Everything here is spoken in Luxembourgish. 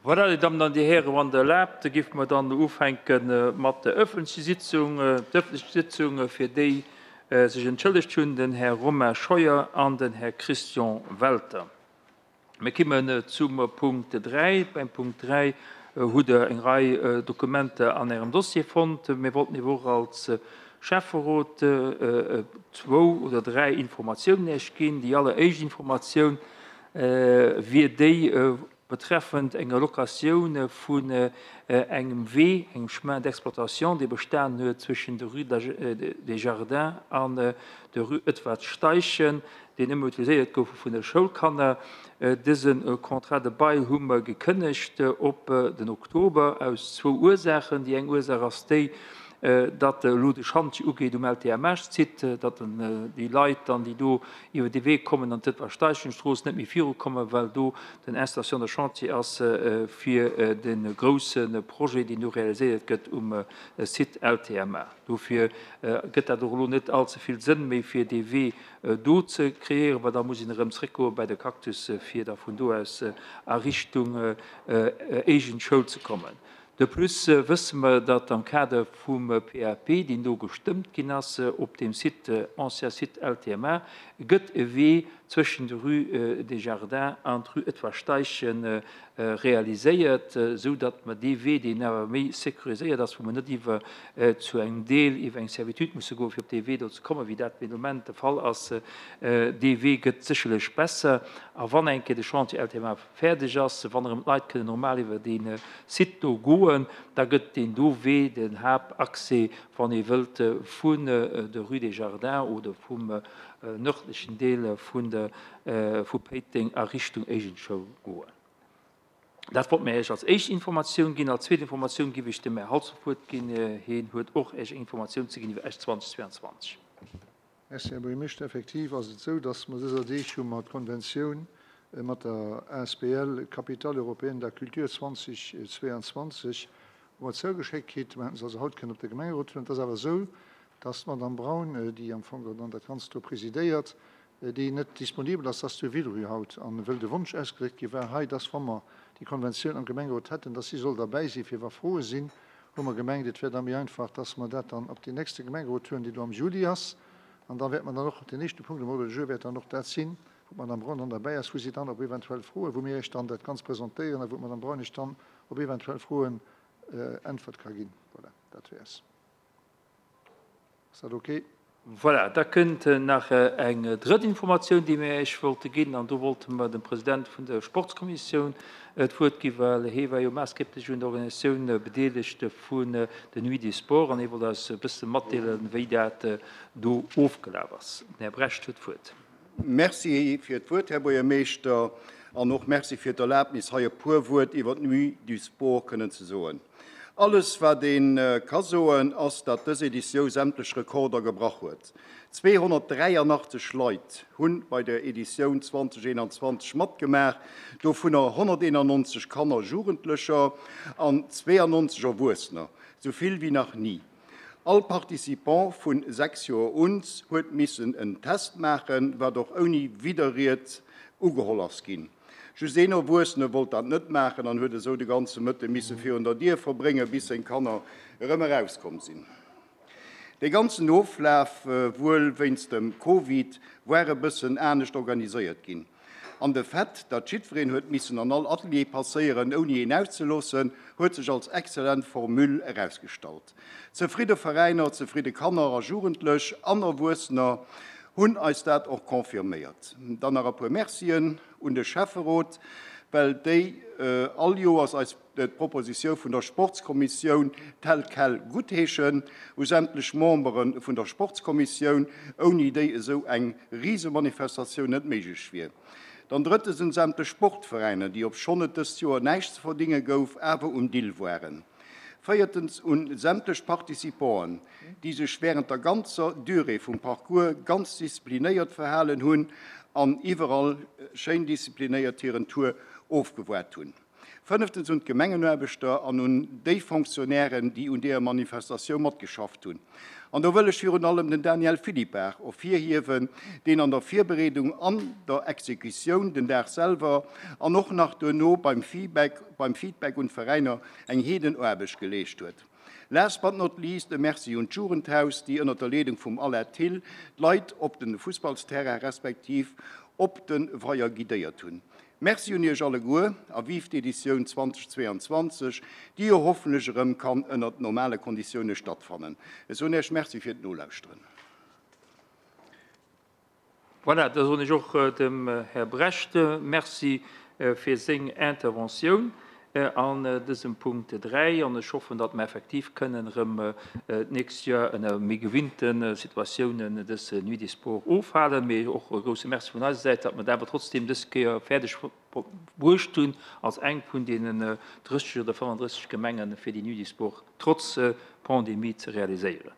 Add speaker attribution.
Speaker 1: Voilà, Dir Dammen an Dir Hären, wann Der erlaabt, géife mer dann ufänke mat der öffentlecher Sitzung. D'öffentlech Sitzung, fir déi sech entschëllegt hunn, den Här Romain Scheuer an den Här Christian Welter. Mir kimmen zum Punkt 3. Beim Punkt 3 hutt Der eng Rei Dokumenter an Ärem Dossier fonnt. Mir wollten Iech och als Schäfferot zwou oder dräi Informatiounen Iech ginn. Déi alleréischt Informatioun wier déi betreffend enger Locatioun vun engem Wee, engem Chemin d'exploitation, dee bestanen huet zwëschen der Rue des Jardins an der Rue Edward Steichen, deen ëmmer utiliséiert gouf vun de Schoulkanner. Dëse Contrat de bail hu mer gekënnegt op den Oktober aus zwou Ursaachen. Déi eng Ursaach ass déi, datt elo de Schantje ugeet um LTMH-Site, datt déi Leit dann, déi do iwwer dee Wee kommen an d'Edward-Steichen-Strooss, net méi virukommen, well do den Installation de chantier ass fir de grousse Projet, deen do realiséiert gëtt um Site LTMA. Dofir gëtt dat och elo net allze vill Sënn méi, fir dee Wee do ze kreéieren, well da muss een erëm zréckgoe bei de Cactus, fir da vun do aus a Richtung Eigent Schoul ze kommen. De plus wësse mer, datt am Kader vum PAP, deen do gestëmmt ginn ass op deem Site, ancien Site LTMA, gëtt e Wee zwëschen der Rue des Jardins an d'Rue Edward Steichen realiséiert, esou datt mer dee Wee, deen awer méi sécuriséiert ass, wou mer net iwwer zu engem Deel iwwer eng Servitude musse goen, fir op dee Wee do ze kommen, wéi dat fir de Moment de Fall ass, dee Wee gëtt sécherlech besser. A wann eng Kéier de Chantier LTMA fäerdeg ass, wann erëm d'Leit kënnen normal iwwer dee Site do goen, da gëtt deen do Wee den Haaptaccès, wann ee wëllt vun der Rue des Jardins oder vum nërdlechen Deel vun der vu Péiteng a Richtung Éigenschoul goen. Dat wollt mir Iech als éischt Informatioun ginn. Als zweet Informatioun giff ech dem Här Halsdorf d'Wuert ginn. Hien huet och Iech eng Informatioun ze ginn iwwer Esch 2022.
Speaker 2: Merci, Här Buergermeeschter. Effektiv ass et esou, dass mer dëser Deeg hu mer d'Konventioun mat der asbl Capitale européenne de la culture 2022 hu mer zougeschéckt kritt. Mer hätten se also haut kënnen op de Gemengerot huelen. Et ass awer esou, dass d'Madame Braun, déi am Fong dann dat Ganzt do presidéiert, déi net disponibel ass, dass zu Villerupt haut, an wëll de Wonsch ausgedréckt gi war hei, dass wa mer déi Konventioun am Gemengerot hätten, dass si soll derbäi sinn, fir wa Froe sinn, hu mer gemengt, et wär da méi einfach, dass mer dat dann op deen nächste Gemengerot huelen, deen do am Juli ass. An da wäert mer dann och, deen éischte Punkt um Ordre du jour wäert dann och dat sinn, wou d'Madame Braun dann derbäi ass, wou si dann op eventuell Froen, wou mir Iech dann dat Ganzt presentéieren a wou d'Madame Braun Iech dann op eventuell Froen Äntwert ka ginn. Voilà, dat wär's. Ass dat ok?
Speaker 1: Voilà, da kënnt nach eng drëtt Informatioun, déi mir Iech wollte ginn. An do wollte mer dem President vun der Sportskommissioun d'Wuert ginn, well hee war jo maassgeblech un der Organisatioun bedeelegt vun der Nuit des Sports an hee wollt eis e bësse matdeelen, wéi dat do ofgelaf ass. Den Här Brecht huet d'Wuert.
Speaker 3: Merci fir d'Wuert, Här Buergermeeschter, an och Merci fir d'Erlaabnis, hei e puer Wuert iwwer d'Nuit du Sport kënnen ze soen. Alles wat ee ka soen, ass dat dës Editiou sämtlech Rekorder gebrach huet. 283 Leit hunn bei der Editioun 2021 matgemaach, dovunner 191 Kanner, Jugendlecher an 92 Erwuessener, sou vill wéi nach ni. All Participant vun 6 Joer un huet missen en Test maachen, wat och ouni Widderried ugeholl ass ginn. Just een Erwuessene wollt dat net maachen an huet esou de ganze Mëtte misse virun der Dier verbréngen, bis seng Kanner erëm erauskomm sinn. Dee ganzen Oflaf, wuel wéinst dem Covid, war e bëssen anescht organiséiert ginn. An de Fait, datt jiddwereen huet missen an all Atelier passéieren, ouni een auszeloossen, huet sech als exzellent Formule erausgestallt. Zefridde Veräiner, zefridde Kanner a Jugendlech an Erwuessener hunn eis dat och confirméiert. Dann nach e puer Mercien un de Schäfferot, well déi all Joers eis d'Propositioun vun der Sportskommissioun tel quel guttheeschen, u sämtlech Membere vun der Sportskommissioun, ouni déi esou eng Risemanifestatioun net méiglech wier. Dann drëttens un sämtlech Sportveräiner, déi, obschonn et dëst Joer näischt ze verdinge gouf, awer um Dill waren. Véiertens un sämtlech Participanten, déi sech während der ganzer Durée vum Parcours ganz disziplinéiert verhalen hunn an iwwerall schéin disziplinéiert hiren Tour ofgewaart hunn. Fënneftens un d'Gemengenaarbechter an un déi Fonctionnairen, déi un deeër Manifestatioun matgeschafft hunn. An do wëll ech virun allem den Daniel Philippart ervirhiewen, deen an der Virbereedung an der Exekutioun den Dag selwer an och nach duerno beim Feedback beim Feedback un d'Veräiner eng Heedenaarbecht geleescht huet. Last but not least e Merci un d'Jugendhaus, déi ënnert der Leedung vum Alain Thill d'Leit op de Fussballsterrain respektiv op de Weier guidéiert hunn. Merci un Iech alleguer a vive d'Editioun 2022, déi jo hoffentlech erëm kann ënnert normale Konditioune stattfannen. Ech soen Iech Merci fir d'Nolauschteren.
Speaker 1: Voilà, da soen ech och dem Här Brecht Merci fir seng Interventioun an dësem Punkt 3. An ech hoffen, datt mer effektiv kënnen erëm d'nächst Joer ënner méi gewinnte Situatiounen dës Nuit des Sports ofhalen. Mee och e grouse Merci vun eiser Säit, datt mer et awer trotzdeem dës Kéier fäerdeg bruecht hunn, als eng vun deenen 30 oder 35 Gemengen, fir déi Nuit des Sports trotz Pandemie ze realiséieren.